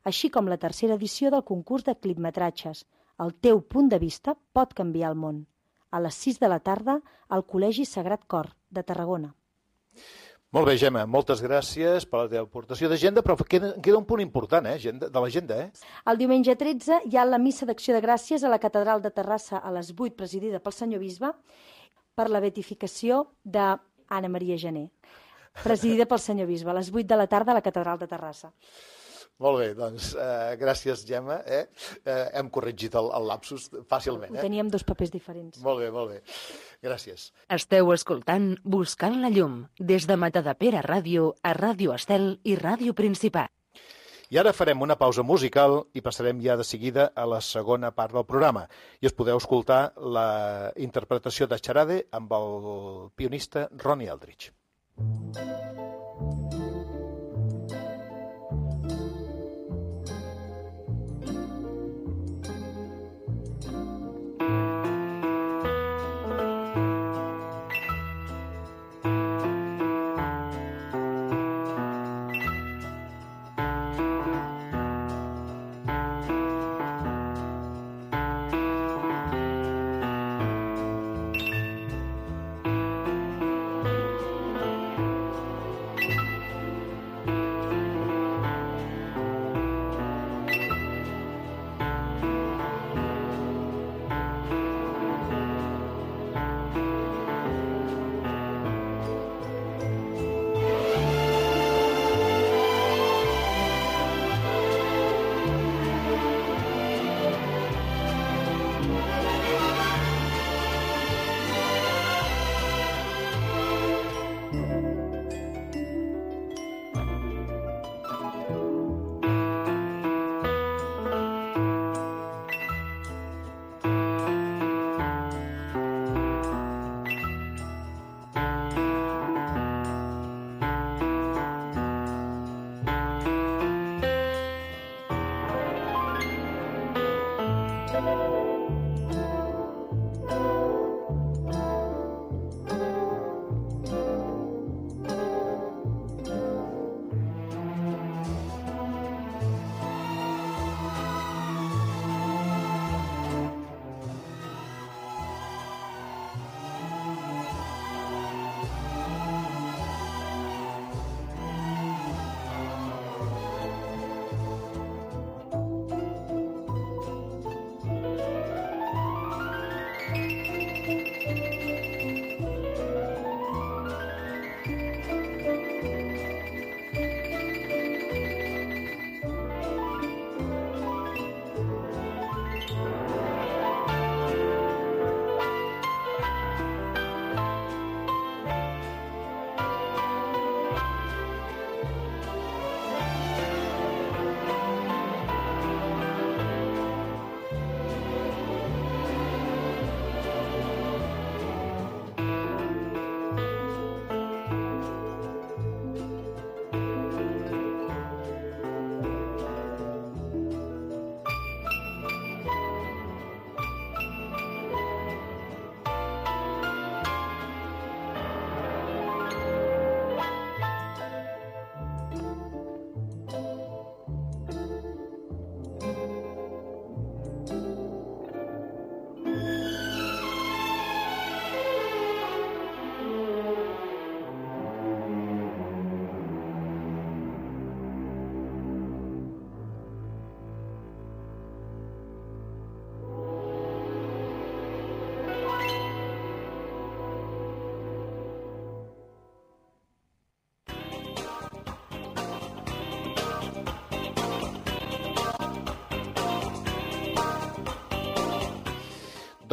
així com la tercera edició del concurs de clipmetratges. El teu punt de vista pot canviar el món. A les sis de la tarda al Col·legi Sagrat Cor de Tarragona. Molt bé, Gemma, moltes gràcies per la teva aportació d'agenda, però queda, queda un punt important eh, agenda, de l'agenda. Eh? El diumenge tretze hi ha la missa d'acció de gràcies a la Catedral de Terrassa a les vuit, presidida pel senyor bisbe, per la beatificació d'Anna Maria Gené, presidida pel senyor bisbe, a les vuit de la tarda a la Catedral de Terrassa. Molt bé, doncs eh, gràcies, Gemma. Eh? Eh, hem corregit el, el lapsus fàcilment. Eh? Teníem dos papers diferents. Molt bé, molt bé. Gràcies. Esteu escoltant Buscant la llum, des de Matadepera Ràdio a Ràdio Estel i Ràdio Principat. I ara farem una pausa musical i passarem ja de seguida a la segona part del programa. I us podeu escoltar la interpretació de Charade amb el pianista Ronnie Eldridge.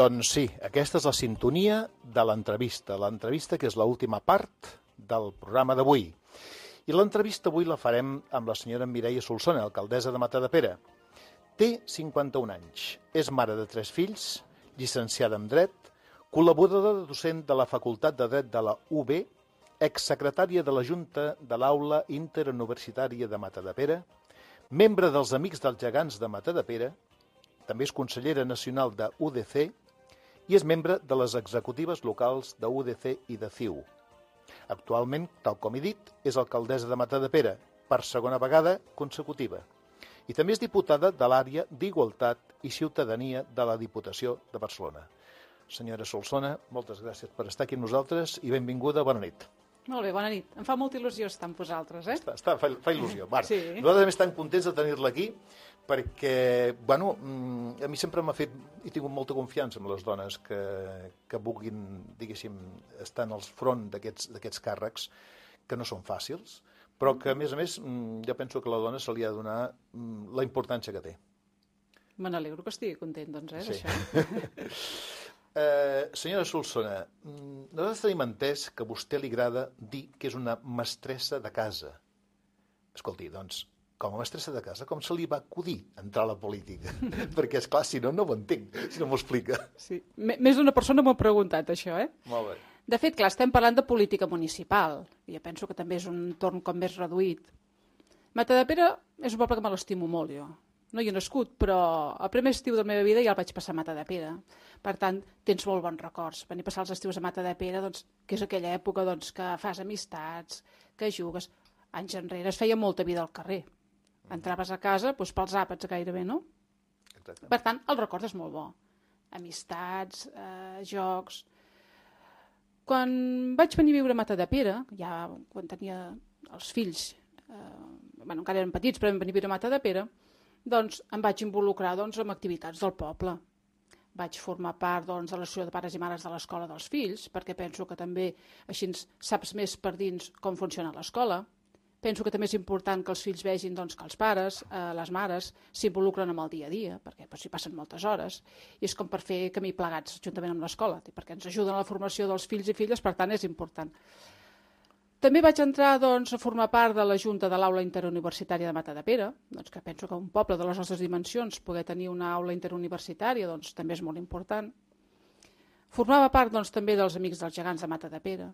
Doncs sí, aquesta és la sintonia de l'entrevista, l'entrevista que és l'última part del programa d'avui. I l'entrevista avui la farem amb la senyora Mireia Solsona, alcaldessa de Matadepera. Té cinquanta-un anys, és mare de tres fills, llicenciada en Dret, col·laboradora docent de la Facultat de Dret de la U B, exsecretària de la Junta de l'Aula Interuniversitària de Matadepera, membre dels Amics dels Gegants de Matadepera, també és consellera nacional de U D C i és membre de les executives locals de U D C i de C I U. Actualment, tal com he dit, és alcaldessa de Matadepera, per segona vegada consecutiva. I també és diputada de l'àrea d'Igualtat i Ciutadania de la Diputació de Barcelona. Senyora Solsona, moltes gràcies per estar aquí amb nosaltres i benvinguda, bona nit. Molt bé, bona nit. Em fa molta il·lusió estar amb vosaltres, eh? Està, està, fa, fa il·lusió. Bueno, sí. Nosaltres també estem contents de tenir-la aquí perquè, bueno, a mi sempre m'ha fet, he tingut molta confiança en les dones que, que vulguin, diguéssim, estar en el front d'aquests càrrecs, que no són fàcils, però que, a més a més, jo penso que a la dona se li ha de donar la importància que té. Me n'alegro que estigui content, doncs, eh, sí. d'això. Uh, senyora Solsona, nosaltres tenim entès que a vostè li agrada dir que és una mestressa de casa. Escolti, doncs, com a mestressa de casa, com se li va acudir entrar a la política? Perquè, esclar, si no, no ho entenc, si no m'ho explica. Sí. Més d'una persona m'ho ha preguntat, això, eh? Molt bé. De fet, clar, estem parlant de política municipal. I jo penso que també és un entorn com més reduït. Matadepera és un poble que me l'estimo molt, jo. No hi he nascut, però el primer estiu de la meva vida ja el vaig passar a Matadepera. Per tant, tens molt bons records. Venir a passar els estius a Matadepera, doncs, que és aquella època doncs, que fas amistats, que jugues. Anys enrere es feia molta vida al carrer. Entraves a casa doncs, pels àpats gairebé, no? Exacte. Per tant, el record és molt bo. Amistats, eh, jocs... Quan vaig venir a viure a Matadepera, ja quan tenia els fills, eh, bueno, encara eren petits, però vam venir a viure a Matadepera, doncs em vaig involucrar doncs, en activitats del poble. Vaig formar part doncs, de l'associació de pares i mares de l'escola dels fills, perquè penso que també així saps més per dins com funciona l'escola. Penso que també és important que els fills vegin doncs, que els pares, eh, les mares, s'involucren amb el dia a dia, perquè doncs, hi passen moltes hores, i és com per fer camí plegats juntament amb l'escola, perquè ens ajuden a la formació dels fills i filles, per tant és important. També vaig entrar doncs, a formar part de la Junta de l'Aula Interuniversitària de Matadepera, doncs, que penso que un poble de les nostres dimensions poder tenir una aula interuniversitària doncs, també és molt important. Formava part doncs, també dels Amics dels Gegants de Matadepera.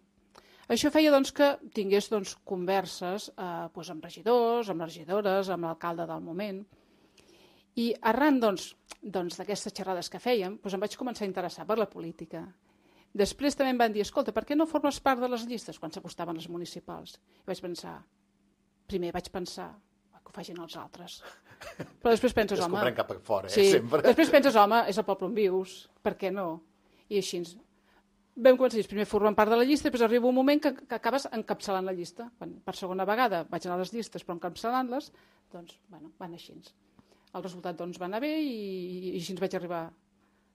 Això feia doncs, que tingués doncs, converses eh, doncs, amb regidors, amb regidores, amb l'alcalde del moment. I arran doncs, doncs, d'aquestes xerrades que fèiem, doncs, em vaig començar a interessar per la política. Després també em van dir, escolta, per què no formes part de les llistes quan s'acostaven les municipals? I vaig pensar, primer vaig pensar que ho facin els altres. Però després penses, home... Es cap a fora, eh, sí. sempre. Després penses, home, és el poble on vius, per què no? I així vam començar, primer formant part de la llista, després arriba un moment que, que acabes encapçalant la llista. Quan per segona vegada vaig anar a les llistes, però encapçalant-les, doncs, bueno, van així. El resultat doncs, va anar bé i, i així ens vaig arribar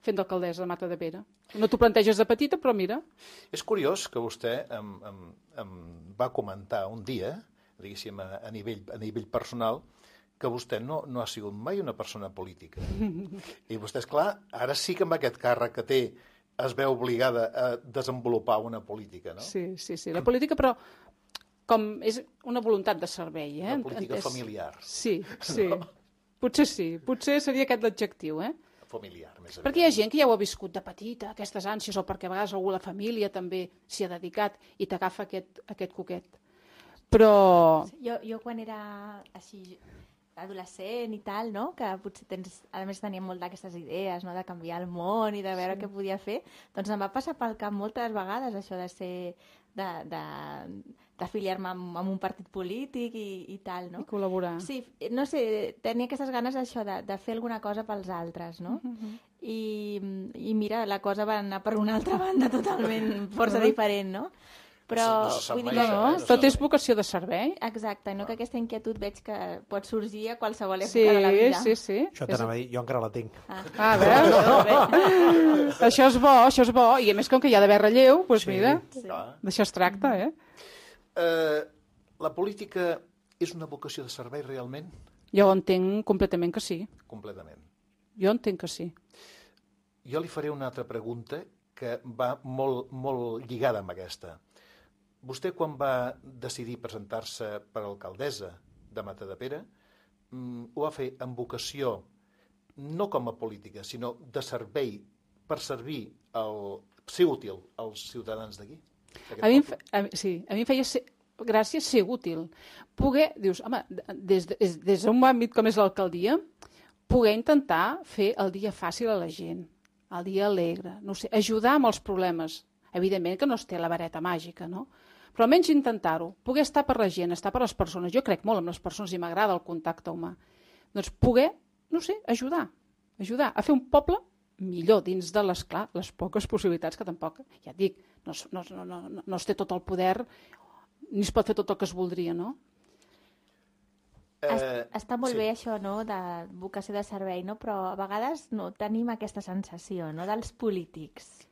fent d'alcaldessa de Matadepera. No t'ho planteges de petita, però mira. És curiós que vostè em, em, em va comentar un dia, diguéssim, a, a, nivell, a nivell personal, que vostè no, no ha sigut mai una persona política. I vostè, esclar, ara sí que amb aquest càrrec que té es veu obligada a desenvolupar una política, no? Sí, sí, sí. La política, però, com és una voluntat de servei, eh? Una política és... familiar. Sí, sí. No? Potser sí. Potser seria aquest l'adjectiu, eh? Familiar, més aviat. Perquè hi ha gent que ja ho ha viscut de petita, aquestes ànsies, o perquè a vegades algú a la família també s'hi ha dedicat i t'agafa aquest, aquest coquet. Però... Jo, jo quan era així adolescent i tal, no? Que potser tens, a més tenia molt d'aquestes idees, no? De canviar el món i de veure sí. Què podia fer, doncs em va passar pel cap moltes vegades això de ser de, de, d'afiliar-me amb, amb un partit polític i, i tal, no? I col·laborar. Sí, no sé, tenia aquestes ganes d'això, de, de fer alguna cosa pels altres, no? Uh-huh. I, I mira, la cosa va anar per una altra banda totalment força diferent, no? Però, no se vull dir, mai, no, eh? no, tot és vocació de servei. Exacte, no? Que aquesta inquietud veig que pot sorgir a qualsevol època sí, de la vida. Sí, sí, Això t'anava a dir, jo encara la tinc. Ah, ah veus? No, això és bo, això és bo. I a més, com que hi ha d'haver relleu, doncs sí, mira, sí. D'això es tracta, eh? Uh, la política és una vocació de servei realment? Jo entenc completament que sí. Completament. Jo entenc que sí. Jo li faré una altra pregunta que va molt, molt lligada amb aquesta. Vostè, quan va decidir presentar-se per alcaldessa de Matadepera, ho va fer amb vocació, no com a política, sinó de servei, per servir, el, ser útil als ciutadans d'aquí? A mi, a, sí, a mi em feia ser, gràcies ser útil. Poder, dius, home, des, des, des d'un àmbit com és l'alcaldia, poder intentar fer el dia fàcil a la gent, el dia alegre, no sé, ajudar amb els problemes. Evidentment que no es té la vareta màgica, no? Però almenys intentar-ho, poder estar per la gent, estar per les persones. Jo crec molt en les persones i m'agrada el contacte humà. Doncs poder, no sé, ajudar, ajudar a fer un poble millor dins de les, clar, les poques possibilitats que tampoc, ja et dic, no, no, no, no, no es té tot el poder ni es pot fer tot el que es voldria, no? Eh, Està molt sí. bé això, no?, de vocació de servei, no? Però a vegades no tenim aquesta sensació, no?, dels polítics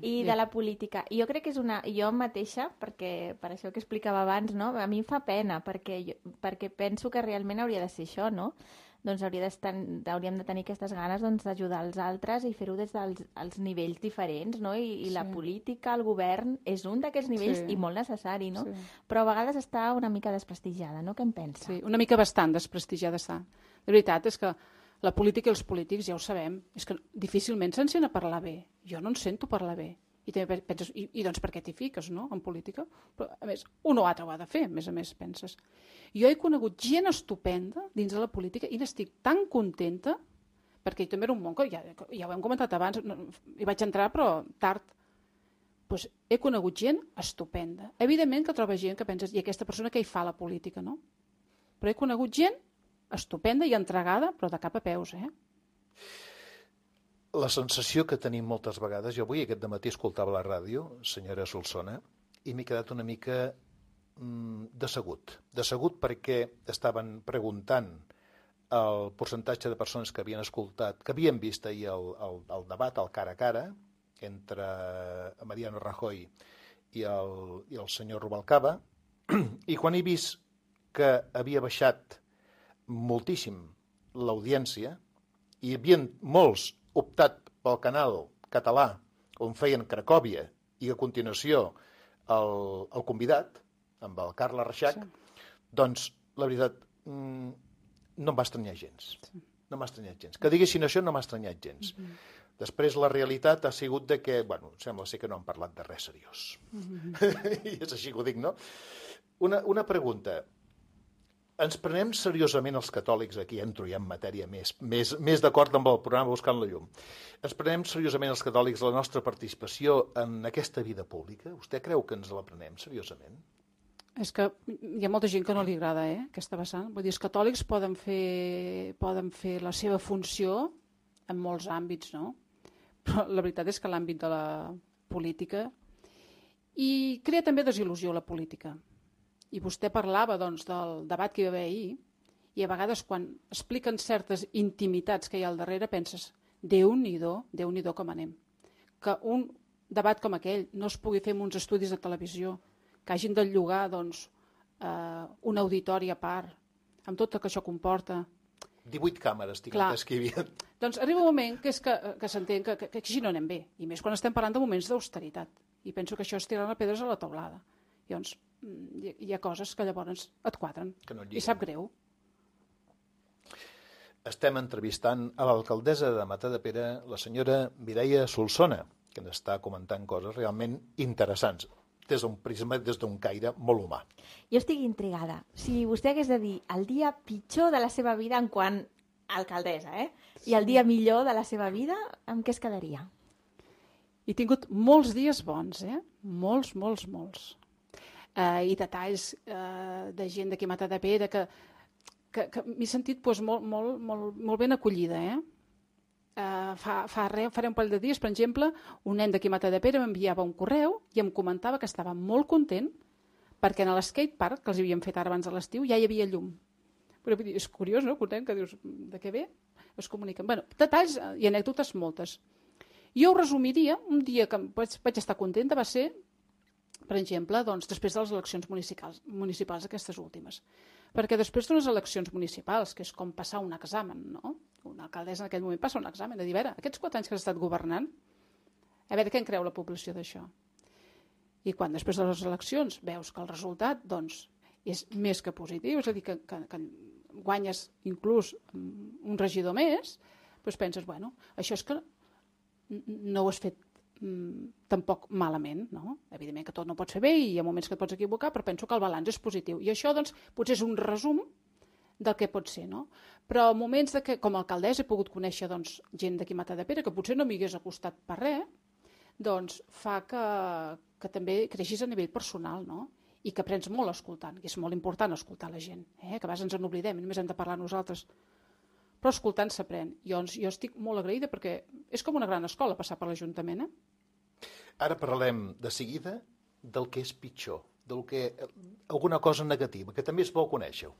i de la política. I jo crec que és una... Jo mateixa, perquè per això que explicava abans, no?, a mi em fa pena, perquè, jo, perquè penso que realment hauria de ser això, no?, doncs hauria hauríem de tenir aquestes ganes doncs, d'ajudar els altres i fer-ho des dels els nivells diferents, no? I, i sí. La política, el govern, és un d'aquests nivells sí. i molt necessari, no? Sí. Però a vegades està una mica desprestigiada, no? Què en pensa? Sí, una mica bastant desprestigiada està. De veritat, és que la política i els polítics, ja ho sabem, és que difícilment se'n sent a parlar bé. Jo no en sento parlar bé. I també penses, i, i doncs per què t'hi fiques, no?, en política? Però, a més, un o altre ho ha de fer, a més a més, penses. Jo he conegut gent estupenda dins de la política i n'estic tan contenta, perquè també era un món que ja, ja ho hem comentat abans, no, hi vaig entrar però tard. Pues he conegut gent estupenda. Evidentment que trobes gent que penses, i aquesta persona què hi fa a la política, no? Però he conegut gent estupenda i entregada, però de cap a peus, eh? La sensació que tenim moltes vegades, jo avui aquest dematí escoltava la ràdio, senyora Solsona, i m'he quedat una mica mm, decebut. Decebut perquè estaven preguntant el percentatge de persones que havien escoltat, que havien vist ahir el, el, el debat, el cara a cara, entre Mariano Rajoy i el, i el senyor Rubalcaba, i quan he vist que havia baixat moltíssim l'audiència, i hi havia molts optat pel canal català on feien Cracòvia i a continuació el, el convidat, amb el Carles Reixac, sí. Doncs la veritat mmm, no em va estranyar gens. Sí. No m'ha estranyat gens. Que diguessin això no m'ha estranyat gens. Mm-hmm. Després la realitat ha sigut de que, bueno, sembla ser que no han parlat de res seriós. Mm-hmm. I és així que ho dic, no? Una, una pregunta. Ens prenem seriosament els catòlics, aquí entro ja en matèria més, més, més d'acord amb el programa Buscant la Llum, ens prenem seriosament els catòlics la nostra participació en aquesta vida pública? Vostè creu que ens la prenem seriosament? És que hi ha molta gent que no li agrada, eh, aquesta vessant. Vull dir, els catòlics poden fer, poden fer la seva funció en molts àmbits, no? Però la veritat és que l'àmbit de la política i crea també desil·lusió la política. I vostè parlava doncs, del debat que hi va haver ahir, i a vegades quan expliquen certes intimitats que hi ha al darrere penses, Déu-n'hi-do, Déu-n'hi-do com anem. Que un debat com aquell no es pugui fer en uns estudis de televisió, que hagin de llogar doncs, eh, un auditori a part, amb tot el que això comporta. divuit càmeres, tinguem que hi havia. Doncs arriba un moment que, és que, que s'entén que, que, que així no anem bé, i més quan estem parlant de moments d'austeritat. I penso que això és tirar les pedres a la teulada. Llavors, hi ha coses que llavors et quadren no i sap greu. Estem entrevistant a l'alcaldessa de Matadepera, la senyora Mireia Solsona, que ens està comentant coses realment interessants, des d'un prisma, des d'un caire molt humà. Jo estic intrigada. Si vostè hagués de dir el dia pitjor de la seva vida en quant a alcaldessa, eh? I el dia millor de la seva vida, amb què es quedaria? He tingut molts dies bons, eh? Molts, molts, molts. Uh, i detalls uh, de gent d'aquí a Matadepera que, que, que m'he sentit pues, molt, molt, molt, molt ben acollida. Eh? Uh, fa, fa re, faré un parell de dies, per exemple, un nen d'aquí a Matadepera m'enviava un correu i em comentava que estava molt content perquè en l'skatepark, que els havíem fet ara abans de l'estiu, ja hi havia llum. Però és curiós, no? Content, que dius, de què ve? Es comuniquen. Bueno, detalls i anècdotes moltes. Jo ho resumiria, un dia que vaig, vaig estar contenta va ser, per exemple, doncs, després de les eleccions municipals, municipals aquestes últimes. Perquè després d'unes eleccions municipals, que és com passar un examen, no? Una alcaldessa en aquell moment passa un examen de dir, a veure, aquests quatre anys que has estat governant, a veure què en creu la població d'això. I quan després de les eleccions veus que el resultat doncs, és més que positiu, és a dir, que, que, que guanyes inclús un regidor més, doncs penses, bueno, això és que no ho has fet tampoc malament, no? Evidentment que tot no pots fer bé i hi ha moments que et pots equivocar, però penso que el balanç és positiu. I això, doncs, potser és un resum del que pot ser, no? Però moments de que, com a alcaldessa, he pogut conèixer doncs, gent d'aquí a Matadepera que potser no m'hi hagués acostat per res, doncs fa que, que també creixis a nivell personal, no? I que aprens molt escoltant, i és molt important escoltar la gent, eh? Que a vegades ens n'oblidem, només hem de parlar nosaltres. Però escoltant s'aprèn. Jo, jo estic molt agraïda perquè és com una gran escola passar per l'Ajuntament, eh? Ara parlem de seguida del que és pitjor, del que alguna cosa negativa, que també és bo conèixer-ho.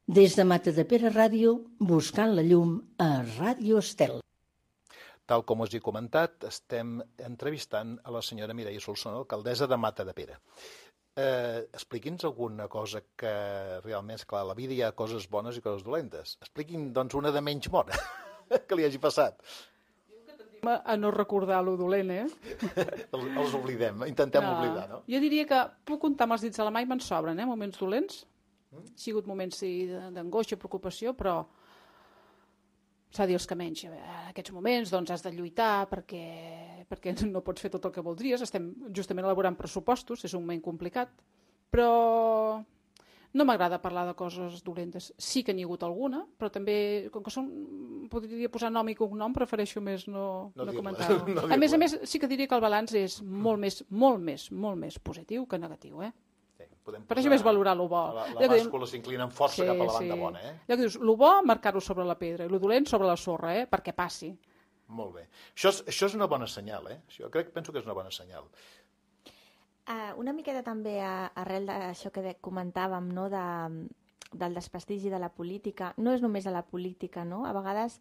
Des de Matadepera Ràdio, buscant la llum a Ràdio Estel. Tal com us he comentat, estem entrevistant a la senyora Mireia Solsona, alcaldessa de Matadepera. Eh, expliqui'ns alguna cosa que realment, esclar, a la vida hi ha coses bones i coses dolentes. Expliqui'm, doncs, una de menys bona que li hagi passat. A no recordar lo dolent, eh? Els, els oblidem, intentem no. oblidar, no? Jo diria que puc comptar amb els dits de la mà i me'n sobren, eh? Moments dolents. Mm? Han sigut moments sí, d'angoixa, preocupació, però s'ha de dir els que menys. En aquests moments doncs, has de lluitar perquè, perquè no pots fer tot el que voldries. Estem justament elaborant pressupostos, és un moment complicat, però no m'agrada parlar de coses dolentes. Sí que n'hi ha hagut alguna, però també, com que són, podria posar nom i cognom, prefereixo més no, no, no comentar-ho. No a més a més, sí que diria que el balanç és molt més, molt més, molt més positiu que negatiu, eh? Per això més valorar lo bo. La, la bàscula s'inclina amb força sí, cap a la banda sí. bona, eh? Allò que dius, lo bo, marcar-ho sobre la pedra, i lo dolent sobre la sorra, eh? Perquè passi. Molt bé. Això és, això és una bona senyal, eh? Jo crec, penso que és una bona senyal. Uh, una miqueta també a, arrel d'això que comentàvem, no? de, del desprestigi de la política. No és només de la política, no? A vegades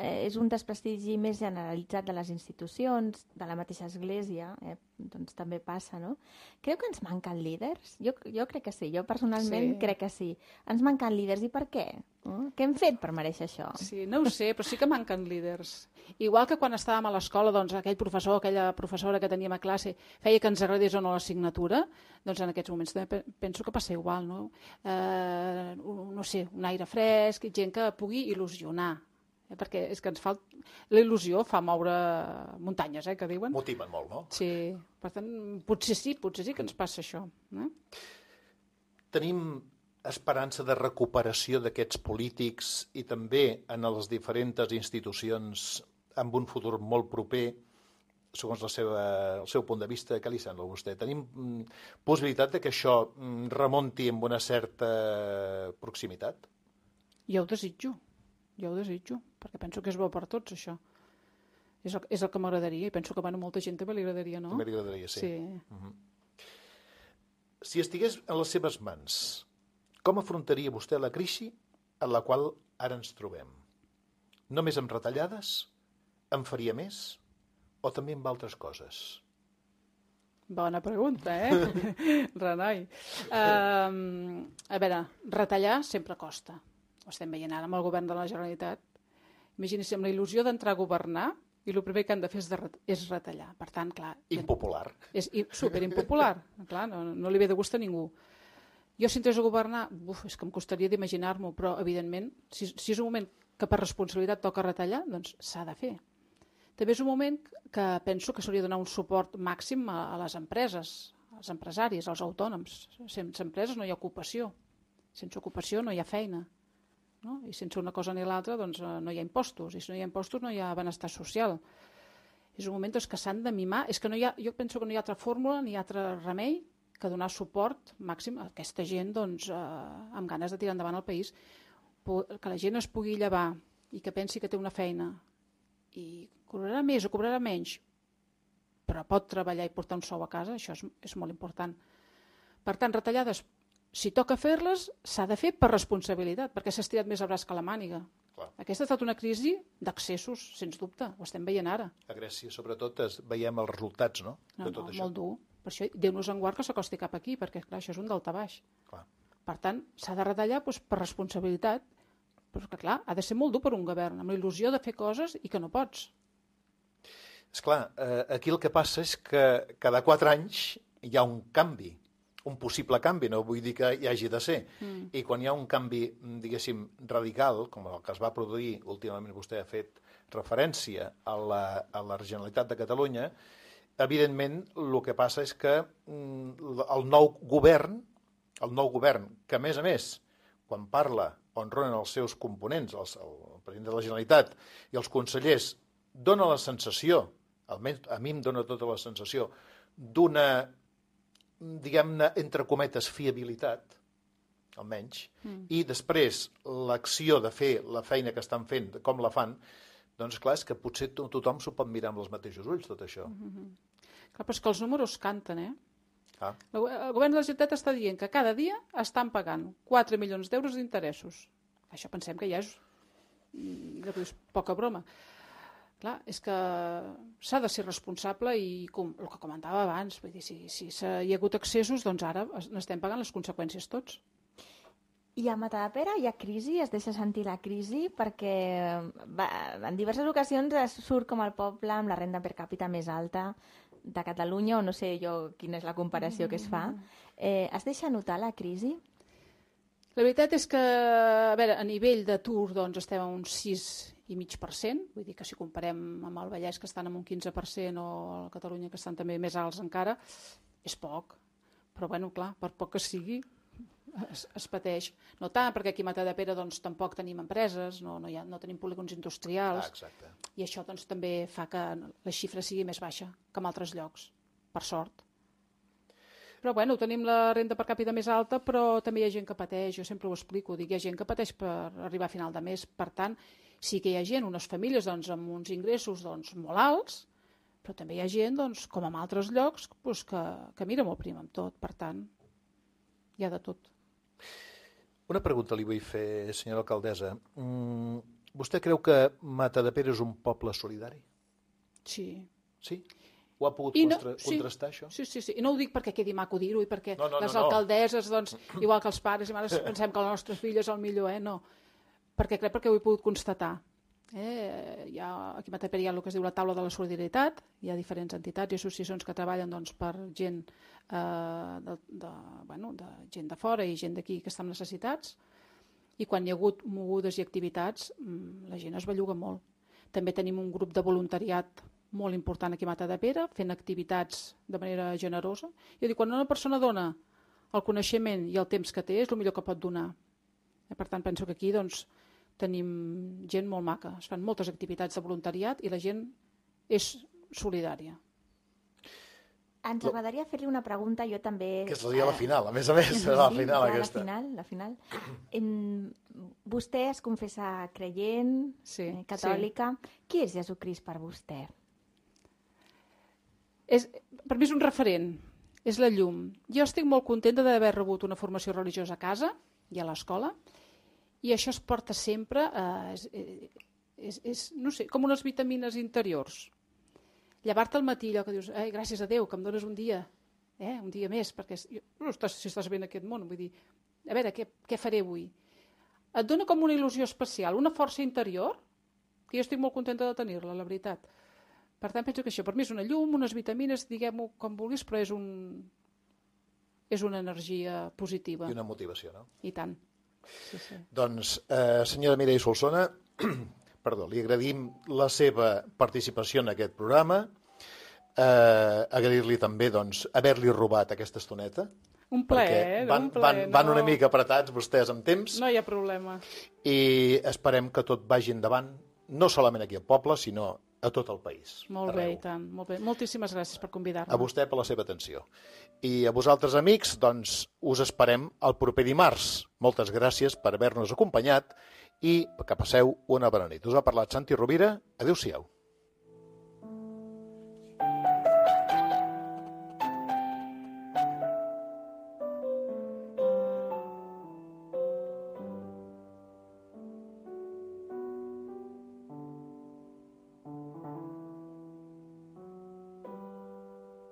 eh, és un desprestigi més generalitzat de les institucions, de la mateixa església, eh? Doncs també passa, no? Creu que ens manquen líders? Jo, jo crec que sí, jo personalment sí. crec que sí. Ens manquen líders, i per què? Uh? Què hem fet per mereixer això? Sí, no ho sé, però sí que manquen líders. Igual que quan estàvem a l'escola, doncs aquell professor, aquella professora que teníem a classe feia que ens agradés o no l'assignatura, doncs en aquests moments també penso que passa igual, no? Eh, no sé, un aire fresc, gent que pugui il·lusionar, eh? Perquè és que ens fa... La il·lusió fa moure muntanyes, eh, que diuen. Motiven molt, no? Sí, per tant, potser sí, potser sí que ens passa això. Eh? Tenim esperança de recuperació d'aquests polítics i també en les diferents institucions amb un futur molt proper, segons la seva, el seu punt de vista. Què li sembla a vostè? Tenim mm, possibilitat de que això mm, remunti amb una certa proximitat? Jo ho desitjo, jo ho desitjo, perquè penso que és bo per tots, això. És el, és el que m'agradaria, i penso que bueno, molta gent també li agradaria, no? També li agradaria, sí. sí. Uh-huh. Si estigués en les seves mans, com afrontaria vostè la crisi en la qual ara ens trobem? Només amb retallades? En faria més? O també amb altres coses? Bona pregunta, eh? Renai. Um, a veure, retallar sempre costa. Ho estem veient ara amb el govern de la Generalitat. Imagini's amb la il·lusió d'entrar a governar i el primer que han de fer és, de, és retallar. Per tant, clar... Impopular. És superimpopular. Clar, no, no li ve de gust a ningú. Jo, si entrés a governar, uf, és que em costaria d'imaginar-m'ho, però, evidentment, si, si és un moment que per responsabilitat toca retallar, doncs s'ha de fer. També és un moment que penso que s'hauria de donar un suport màxim a, a les empreses, als empresaris, als autònoms. Sense empreses no hi ha ocupació. Sense ocupació no hi ha feina. No? I sense una cosa ni l'altra doncs, no hi ha impostos. I si no hi ha impostos no hi ha benestar social. És un moment doncs, que s'han de mimar. És que no hi ha, jo penso que no hi ha altra fórmula ni altre remei que donar suport màxim a aquesta gent doncs, eh, amb ganes de tirar endavant el país. Que la gent es pugui llevar i que pensi que té una feina i cobrarà més o cobrarà menys, però pot treballar i portar un sou a casa, això és, és molt important. Per tant, retallades, si toca fer-les, s'ha de fer per responsabilitat, perquè s'ha estirat més el braç que la màniga. Clar. Aquesta ha estat una crisi d'accessos, sens dubte, ho estem veient ara. A Grècia, sobretot, es, veiem els resultats, no? No, de tot no això. Molt dur. Per això, Déu-nos en guard que s'acosti cap aquí, perquè clar, això és un daltabaix. Clar. Per tant, s'ha de retallar doncs, per responsabilitat, però que, clar, ha de ser molt dur per un govern, amb la il·lusió de fer coses i que no pots. Esclar, eh, aquí el que passa és que cada quatre anys hi ha un canvi, un possible canvi, no vull dir que hi hagi de ser. Mm. I quan hi ha un canvi, diguéssim, radical, com el que es va produir, últimament vostè ha fet referència a la, a la Generalitat de Catalunya, evidentment el que passa és que mm, el nou govern, el nou govern, que a més a més, quan parla on ronen els seus components, els, el president de la Generalitat i els consellers, dona la sensació, almenys a mi em dona tota la sensació, d'una, diguem-ne, entre cometes, fiabilitat, almenys, mm. i després l'acció de fer la feina que estan fent, com la fan, doncs clar, és que potser to tothom s'ho pot mirar amb els mateixos ulls, tot això. Mm -hmm. Clar, però és que els números canten, eh? Ah. El govern de la Generalitat està dient que cada dia estan pagant quatre milions d'euros d'interessos. Això pensem que ja és, ja és poca broma. clar, és que s'ha de ser responsable i, com el que comentava abans, vull dir, si, si hi ha hagut excessos, doncs ara n'estem pagant les conseqüències tots. I a Matadepera hi ha crisi, es deixa sentir la crisi, perquè va, en diverses ocasions es surt com el poble amb la renda per càpita més alta de Catalunya, o no sé jo quina és la comparació que es fa. Eh, es deixa notar la crisi? La veritat és que, a veure, a nivell d'atur doncs, estem a un sis i mig per cent, vull dir que si comparem amb el Vallès, que estan amb un quinze per cent, o a Catalunya, que estan també més alts encara, és poc. Però, bueno, clar, per poc que sigui, es, es pateix. No tant, perquè aquí a Matadepera doncs, tampoc tenim empreses, no, no, hi ha, no tenim polígons industrials, ah, exacte. I això doncs, també fa que la xifra sigui més baixa que en altres llocs, per sort. Però bueno, tenim la renda per càpita més alta, però també hi ha gent que pateix, jo sempre ho explico, dic, hi ha gent que pateix per arribar a final de mes, per tant, sí que hi ha gent, unes famílies doncs, amb uns ingressos doncs, molt alts, però també hi ha gent, doncs, com en altres llocs, doncs, que, que mira molt prim amb tot, per tant, hi ha de tot. Una pregunta li vull fer, senyora alcaldessa. Mm, vostè creu que Matadepera és un poble solidari? Sí. Sí? Ho ha pogut no, contra sí, contrastar, això? Sí, sí, sí. I no ho dic perquè quedi maco dir-ho i perquè no, no, les no, no. alcaldesses, doncs, igual que els pares i mares, pensem que el nostre fill és el millor, eh? No. Perquè crec perquè ho he pogut constatar. Eh? Hi ha, aquí a Matadepera hi ha el que es diu la taula de la solidaritat, hi ha diferents entitats i associacions que treballen doncs, per gent, eh, de, de, bueno, de gent de fora i gent d'aquí que està amb necessitats, i quan hi ha hagut mogudes i activitats la gent es belluga molt. També tenim un grup de voluntariat molt important aquí a Matadepera, fent activitats de manera generosa. Jo dic, quan una persona dona el coneixement i el temps que té, és el millor que pot donar. Per tant, penso que aquí doncs, tenim gent molt maca. Es fan moltes activitats de voluntariat i la gent és solidària. Ens agradaria fer-li una pregunta, jo també... Que seria la final, a més a més, serà la sí, final ja, aquesta. La final, la final. En, vostè es confessa creient, sí, eh, catòlica. Sí. Qui és Jesucrist per vostè? És, per mi és un referent, és la llum. Jo estic molt contenta d'haver rebut una formació religiosa a casa i a l'escola, i això es porta sempre, eh, és, és, és, no sé, com unes vitamines interiors. Llevar-te al matí, allò que dius, eh, gràcies a Déu, que em dones un dia, eh, un dia més, perquè no estàs, si estàs bé en aquest món, vull dir, a veure, què, què faré avui? Et dona com una il·lusió especial, una força interior, que jo estic molt contenta de tenir-la, la veritat. Per tant, penso que això per mi és una llum, unes vitamines, diguem-ho com vulguis, però és, un, és una energia positiva. I una motivació, no? I tant. Sí, sí. Doncs, eh, senyora Mireia Solsona, perdó, li agradim la seva participació en aquest programa, eh, agrair-li també doncs, haver-li robat aquesta estoneta. Un plaer, van, un plaer. Van, van no... una mica apretats vostès amb temps. No hi ha problema. I esperem que tot vagi endavant, no solament aquí al poble, sinó a tot el país. Molt arreu. bé, i tant. Molt bé. Moltíssimes gràcies per convidar-me. A vostè per la seva atenció. I a vosaltres, amics, doncs, us esperem el proper dimarts. Moltes gràcies per haver-nos acompanyat i que passeu una bona nit. Us ha parlat Santi Rovira. Adéu-siau.